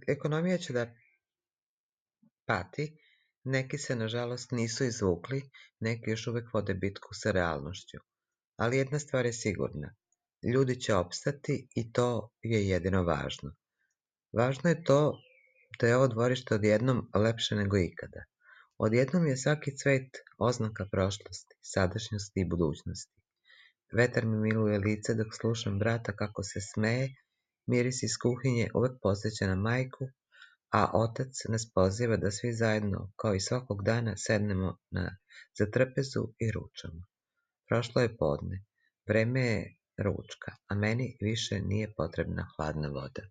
Ekonomija će da pati, neki se nažalost nisu izvukli, neki još uvek vode bitku sa realnošću. Ali jedna stvar je sigurna, ljudi će opstati i to je jedino važno. Važno je to da je ovo dvorište odjednom lepše nego ikada. Odjednom je svaki cvet oznaka prošlosti, sadašnjosti i budućnosti. Vetar mi miluje lice dok slušam brata kako se smeje, miris iz kuhinje uvek podsjeća na majku, a otac nas poziva da svi zajedno, kao i svakog dana, sednemo za trpezu i ručamo. Prošlo je podne, vreme je ručka, a meni više nije potrebna hladna voda.